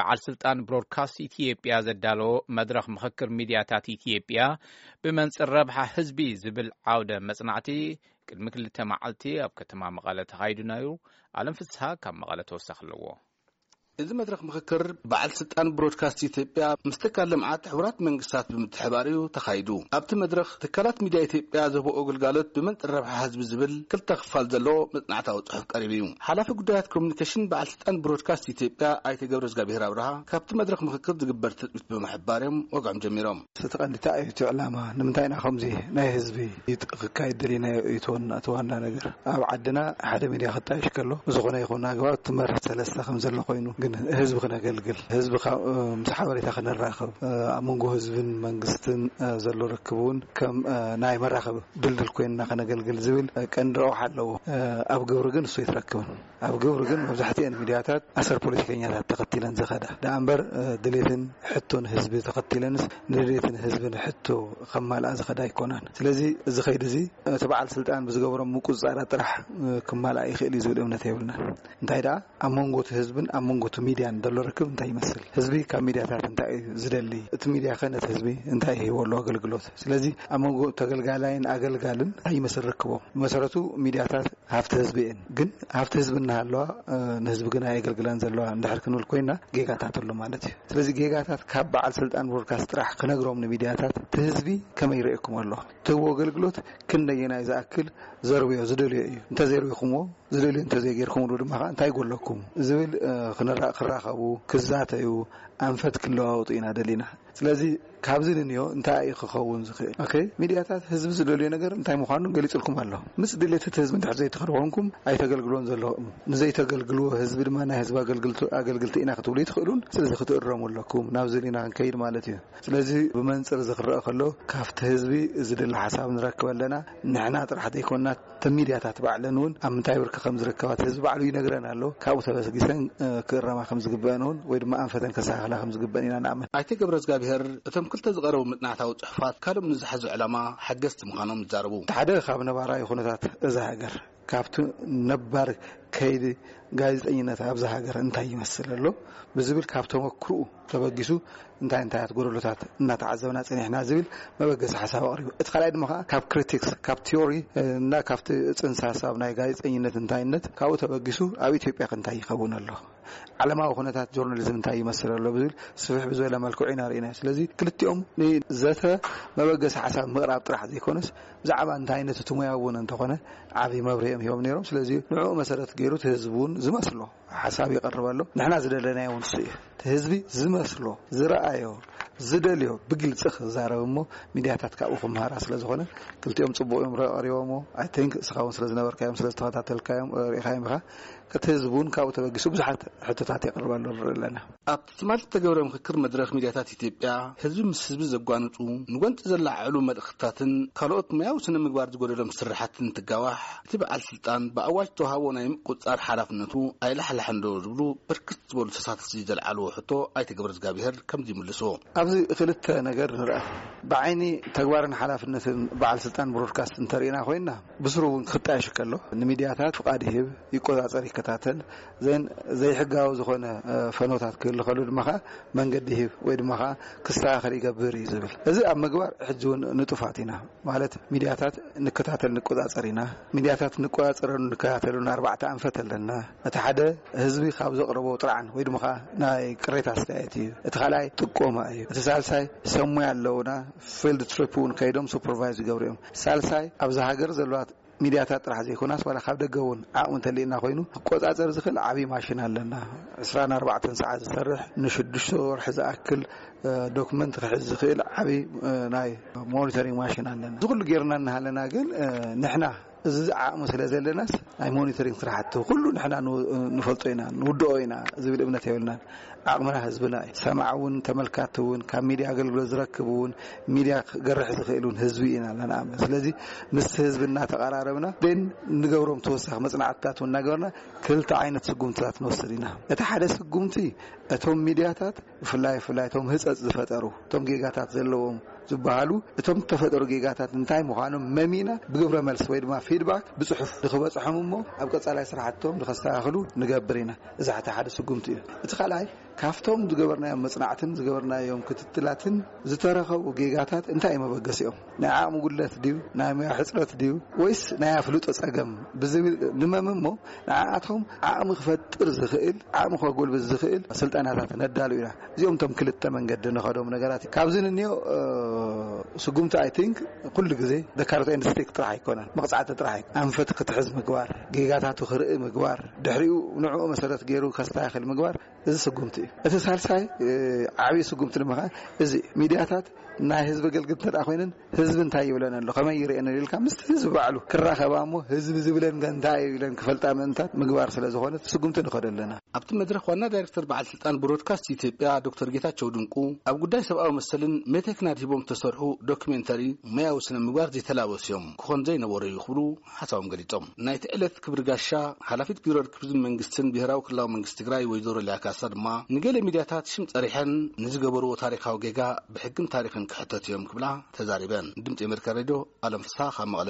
በዓል ስልጣን ብሮድካስት ኢትዮጵያ ዘዳለዎ መድረኽ ምኽክር ሚድያታት ኢትዮጵያ ብመንጽር ረብሓ ህዝቢ ዝብል ዓውደ መጽናዕቲ ቅድሚ ክልተ መዓልቲ ኣብ ከተማ መቐለ ተኻይዱ ነይሩ። ኣለም ፍስሃ ካብ መቐለ ተወሳኺ ኣለዎ። እዚ መድረኽ ምኽክር በዓል ስልጣን ብሮድካስት ኢትዮጵያ ምስ ትካል ልምዓት ሕቡራት መንግስታት ብምትሕባር እዩ ተኻይዱ። ኣብቲ መድረኽ ትካላት ሚድያ ኢትዮጵያ ዝህብኦ ግልጋሎት ብመንጽር ረብሓ ህዝቢ ዝብል ክልተ ክፋል ዘለዎ መጽናዕታዊ ጽሑፍ ቀሪቡ እዩ። ሓላፊ ጉዳያት ኮሚኒኬሽን በዓል ስልጣን ብሮድካስት ኢትዮጵያ ኣይተ ገብረ እግዚኣብሔር ኣብርሃ ካብቲ መድረኽ ምኽክር ዝግበር ትጽቢት ብምሕባር እዮም ወግዖም ጀሚሮም። እቲ ቀንዲ እንታይ እዩ እቲ ዕላማ? ንምንታይ ኢና ከምዚ ናይ ህዝቢ ይጥ-፣ ክካየድ ደሊናዮ? እዩ እቲ ዋና፣ እቲ ዋና ነገር። ኣብ ዓድና ሓደ ሚድያ ክጣየሽ ከሎ ብዝኾነ ይኹን ኣግባብ እቲ መርህ ሰለስተ ከም ዘሎ ኮይኑ፣ ግን ህዝቢ ክነገልግል፣ ህዝቢ ካብ፣ ምስ ሓበሬታ ክነራኽብ፣ ኣብ መንጎ ህዝብን መንግስትን ዘሎ ርክብ እውን ከም ናይ መራኸቢ ድልድል ኮይንና ከነገልግል ዝብል ቀንዲ ረብሓ ኣለዎ። ኣብ ግብሪ ግን እሱ ኣይትረክብን። ኣብ ግብሪ ግን መብዛሕትኤን ሚድያታት ኣሰር ፖለቲከኛታት ተኸቲለን ዝኸዳ ደኣ እምበር፣ ድሌትን ሕቶን ህዝቢ ተኸቲለንስ ንድሌትን ህዝብን ሕቶ ከማልኣ ዝኸዳ ኣይኮናን። ስለዚ እዚ ኸይዲ እዚ እቲ በዓል ስልጣን ብዝገበሮም ምቁጽጻራት ጥራሕ ክማልኣ ይኽእል እዩ ዝብል እምነት የብልናን። እንታይ ደኣ ኣብ መንጎ እቲ ህዝብን ኣብ መንጎ እቲ ሚድያን ዘሎ ርክብ እንታይ ይመስል? ህዝቢ ካብ ሚድያታት እንታይ እዩ ዝደሊ? እቲ ሚድያ ኸ ነቲ ህዝቢ እንታይ ይህቦ ኣሎ ኣገልግሎት? ስለዚ ኣብ መንጎ ተገልጋላይን ኣገልጋልን እንታይ ይመስል ርክቦም? ብመሰረቱ ሚድያታት ሃፍቲ ህዝቢ እየን። ግን ሃፍቲ ህዝቢ እናሃለዋ፣ እ፣ ንህዝቢ ግን ኣየገልግላን ዘለዋ እንድሕር ክንብል ኮይና ጌጋታት ኣሎ ማለት እዩ። ስለዚ ጌጋታት ካብ በዓል ስልጣን ብሮድካስት ጥራሕ ክነግሮም ንሚድያታት እቲ ህዝቢ ከመይ ይርእየኩም ኣሎ? ትህቦ ኣገልግሎት ክንደየናይ ዝኣክል ዘርብዮ ዝደልዮ እዩ? እንተዘይርብኹምዎ ዝደልዮ እንተዘይጌርኩምሉ ድማ ኸዓ እንታይ ጎለኩም ዝብል፣ እ፣ ክንራ-፣ ክራኸቡ፣ ክዛተዩ፣ ኣንፈት ክለዋወጡ ኢና ደሊና። ስለዚ ካብዚ ንንዮ እንታይ እዩ ክኸውን ዝኽእል? ኦኬ፣ ሚድያታት ህዝቢ ዝደልዮ ነገር እንታይ ምዃኑ ገሊጹልኩም ኣሎ። ምስ ድሌት እቲ ህዝቢ እንድሕር ዘይትኽዱ ኮንኩም ኣይተገልግሎን ዘለኹም። ንዘይተገልግልዎ ህዝቢ ድማ ናይ ህዝቢ ኣገልግልቱ-፣ ኣገልግልቲ ኢና ክትብሉ ይትኽእሉን። ስለዚ ክትእረሙ ኣለኩም። ናብዚ ኢና ክንከይድ ማለት እዩ። ስለዚ ብመንጽር እዚ ክረአ ከሎ ካብቲ ህዝቢ ዝድለ ሓሳብ ንረክብ ኣለና። ንሕና ጥራሕ ዘይኮንና እተን ሚድያታት ባዕለን እውን ኣብ ምንታይ ብርኪ ከም ዝርከባ እቲ ህዝቢ ባዕሉ ይነግረን ኣሎ። ካብኡ ተበጊሰን፣ እ፣ ክእረማ ከም ዝግበአን እውን ወይ ድማ ኣንፈተን ከስተኻኽላ ከም ዝግበአን ኢና ንኣምን። ኣይተ ገብረ እግዚኣብሔር እቶም ክልተ ዝቐረቡ መጽናዕታዊ ጽሑፋት ካልኦም ንዝሓዙ ዕላማ ሓገዝቲ ምዃኖም ይዛረቡ። እቲ ሓደ ካብ ነባራዊ ኩነታት እዛ ሃገር፣ ካብቲ ነባር ከይዲ ጋዜጠኝነት ኣብዛ ሃገር እንታይ ይመስል ኣሎ ብዝብል ካብ ተመክርኡ ተበጊሱ እንታይ እንታያት ጎደሎታት እናተዓዘብና ጸኒሕና ዝብል መበገሲ ሓሳብ ኣቕሪቡ። እቲ ካልኣይ ድማ ከኣ ካብ ክሪቲክስ፣ ካብ ቲዮሪ፣ እ፣ እና ካብቲ ጽንሰ ሓሳብ ናይ ጋዜጠኝነት እንታይነት ካብኡ ተበጊሱ ኣብ ኢትዮጵያ ከ እንታይ ይኸውን ኣሎ? ዓለማዊ ኩነታት ጆርናሊዝም እንታይ ይመስል ኣሎ ብዝብል ስፍሕ ብዝበለ መልክዑ ኢና ርኢናዮ። ስለዚ ክልቲኦም ንዘተ መበገሲ ሓሳብ ምቕራብ ጥራሕ ዘይኮነስ ብዛዕባ እንታይነት እቲ ሙያ እውን እንተኾነ ዓቢ መብርሂ እዮም ሂቦም ነይሮም። ስለዚ ንዕኡ መሰረት ገይሩ እቲ ህዝቢ እውን ዝመስሎ ሓሳብ ይቐርብ ኣሎ። ንሕና ዝደለናዮ እውን ንሱ እዩ። እቲ ህዝቢ ዝመስሎ፣ ዝረኣዮ፣ ዝደልዮ ብግልጺ ክዛረብ እሞ ሚድያታት ካብኡ ክመሃራ ስለ ዝኾነ ክልቲኦም ጽቡቕ እዮም ረ-፣ ቀሪቦሞ። I think እስኻ እውን ስለ ዝነበርካዮም፣ ስለ ዝተኸታተልካዮም፣ ርኢኻዮም ኢኻ። እቲ ህዝቢ እውን ካብኡ ተበጊሱ ብዙሓት ሕቶታት የቕርበሉ ንርኢ ኣለና። ኣብቲ ትማሊ ዝተገብረ ምኽክር መድረኽ ሚድያታት ኢትዮጵያ ህዝቢ ምስ ህዝቢ ዘጓንጹ፣ ንጎንጺ ዘላዓዕሉ መልእኽትታትን ካልኦት ሙያዊ ስነ ምግባር ዝጎደሎም ስራሓትን እንትጋዋሕ፣ እቲ በዓል ስልጣን ብኣዋጅ ዝተዋሃቦ ናይ ምቁጽጻር ሓላፍነቱ ኣይላሕላሕን ዶ ዝብሉ ብርክት ዝበሉ ተሳተፍቲ ዘልዓልዎ ሕቶ ኣይተ ገብረዝጋብሄር ከምዚ ይምልሱ። ኣብዚ ክልተ ነገር ንርኣ። ብዓይኒ ተግባርን ሓላፍነትን በዓል ስልጣን ብሮድካስት እንተርኢና ኮይና፣ ብስሩ እውን ክጣየሽ ከሎ፣ ንሚድያታት ፍቓድ ይህብ፣ ይቆጻጸር፣ ይከታተል፣ ዘን ዘይሕጋዊ ዝኾነ፣ እ፣ ፈኖታት ክህሉ ከሎ ድማ ኸዓ መንገዲ ይህብ ወይ ድማ ኸዓ ክስተኻኸል ይገብር እዩ ዝብል። እዚ ኣብ ምግባር ሕጂ እውን ንጡፋት ኢና። ማለት ሚድያታት ንከታተል ንቆጻጸር ኢና። ሚድያታት ንቆጻጸረሉ ንከታተሉን ኣርባዕተ ኣንፈት ኣለና። እቲ ሓደ ህዝቢ ካብ ዘቕረቦ ጥርዓን ወይ ድማ ኸዓ ናይ ቅሬታ ኣስተያየት እዩ። እቲ ካልኣይ ጥቆማ እዩ። እቲ ሳልሳይ ሰብ ሞያ ኣለውና፣ ፊልድ ትሪፕ እውን ከይዶም ሱፐርቫይዝ ይገብሩ እዮም። ሳልሳይ ኣብዛ ሃገር ዘለዋ ሚድያታት ጥራሕ ዘይኮናስ ዋላ ካብ ደገ እውን ዓቕሚ እንተልየና ኮይኑ ክቆጻጸር ዝኽእል ዓብዪ ማሽን ኣለና። ዕስራን ኣርባዕተን ሰዓት ዝሰርሕ ንሽዱሽተ ወርሒ ዝኣክል፣ እ፣ ዶክመንት ክሕዝ ዝኽእል ዓብዪ፣ እ፣ ናይ ሞኒተሪንግ ማሽን ኣለና። እዚ ኩሉ ጌርና እናሃለና ግን፣ እ፣ ንሕና እዚ ዓቕሚ ስለ ዘለናስ ናይ ሞኒተሪንግ ስራሕቲ ኩሉ ንሕና ን-፣ ንፈልጦ ኢና፣ ንውድኦ ኢና ዝብል እምነት የብልናን። ዓቕምና ህዝብና እዩ። ሰማዕ እውን ተመልካቲ እውን ካብ ሚድያ ኣገልግሎት ዝረክብ እውን ሚድያ ክገርሕ ዝኽእል እውን ህዝቢ ኢና ንኣምን። ስለዚ ምስ ህዝቢ እናተቐራረብና ን-፣ ንገብሮም ተወሳኺ መጽናዕትታት እውን እናገበርና ክልተ ዓይነት ስጉምትታት ንወስድ ኢና። እቲ ሓደ ስጉምቲ እቶም ሚድያታት ብፍላይ፣ ብፍላይ እቶም ህጸጽ ዝፈጠሩ፣ እቶም ጌጋታት ዘለዎም ዝበሃሉ፣ እቶም ዝተፈጠሩ ጌጋታት እንታይ ምዃኖም መሚና ብግብረ መልሲ ወይ ድማ ፊድባክ ብጽሑፍ ንኽበጽሖም እሞ ኣብ ቀጻላይ ስራሕቶም ንኸስተኻኽሉ ንገብር ኢና። እዚ እቲ ሓደ ስጉምቲ እዩ። እቲ ካልኣይ ካብቶም ዝገበርናዮም መጽናዕትን ዝገበርናዮም ክትትላትን ዝተረኸቡ ጌጋታት እንታይ እዩ መበገሲኦም? ናይ ዓቕሚ ጉድለት ድዩ? ናይ ሞያ ሕጽረት ድዩ? ወይስ ናይ ኣፍልጦ ጸገም ብዝብል ንመም እሞ፣ ንዓኣቶም ዓቕሚ ክፈጥር ዝኽእል፣ ዓቕሚ ከጎልብት ዝኽእል ስልጠናታት ነዳሉ ኢና። እዚኦም እቶም ክልተ መንገዲ ንኸዶም ነገራት እዩ። ካብዚ ንንዮ ስጉምቲ፣ ኣይ ቲንክ፣ ኩሉ ግዜ ደካርት ኤንድ ስቲክ ጥራሕ ኣይኮነን፣ መቕጻዕቲ ጥራሕ ኣይኮነን። ኣንፈት ክትሕዝ ምግባር፣ ጌጋታቱ ክርኢ ምግባር፣ ድሕሪኡ ንዕኡ መሰረት ገይሩ ከስተካክል ምግባር፣ እዚ ስጉምቲ እዩ። እቲ ሳልሳይ ዓብዪ ስጉምቲ ድማ እዚ ሚድያታት ናይ ህዝቢ ኣገልግልቲ እንተ ኮይነን፣ ህዝቢ እንታይ ይብለን ኣሎ፣ ከመይ ይርእየን ኣሎ ኢልካ ምስቲ ህዝቢ ባዕሉ ክራኸባ እሞ፣ ህዝቢ ዝብለን ከ እንታይ እዩ ኢለን ክፈልጣ ምእንታት ምግባር ስለ ዝኾነ ስጉምቲ ንኸዶ ኣለና። ኣብቲ መድረኽ ዋና ዳይሬክተር በዓል ስልጣን ብሮድካስት ኢትዮጵያ ዶክተር ጌታቸው ድንቁ፣ ኣብ ጉዳይ ሰብኣዊ መሰልን ሜቴክን ኣድሂቦም ዝተሰርሑ ዶክሜንተሪ ሞያዊ ስነ ምግባር ዘይተላበሱ እዮም፣ ክኾን ዘይነበሮ እዩ ክብሉ ሓሳቦም ገሊጾም። ናይቲ ዕለት ክብሪ ጋሻ ሓላፊት ቢሮ ርክብ ህዝብን መንግስትን ብሄራዊ ክልላዊ መንግስቲ ትግራይ ወይዘሮ ሊያ ካሳ ድማ፣ ንገለ ሚድያታት ሽም ጸሪሐን ንዝገበርዎ ታሪኻዊ ጌጋ ብሕግን ታሪኽን ክሕተቱ እዮም ክብላ ተዛሪበን። ድምጺ ኣሜሪካ ሬድዮ፣ ኣለም ፍስሓ ካብ መቐለ።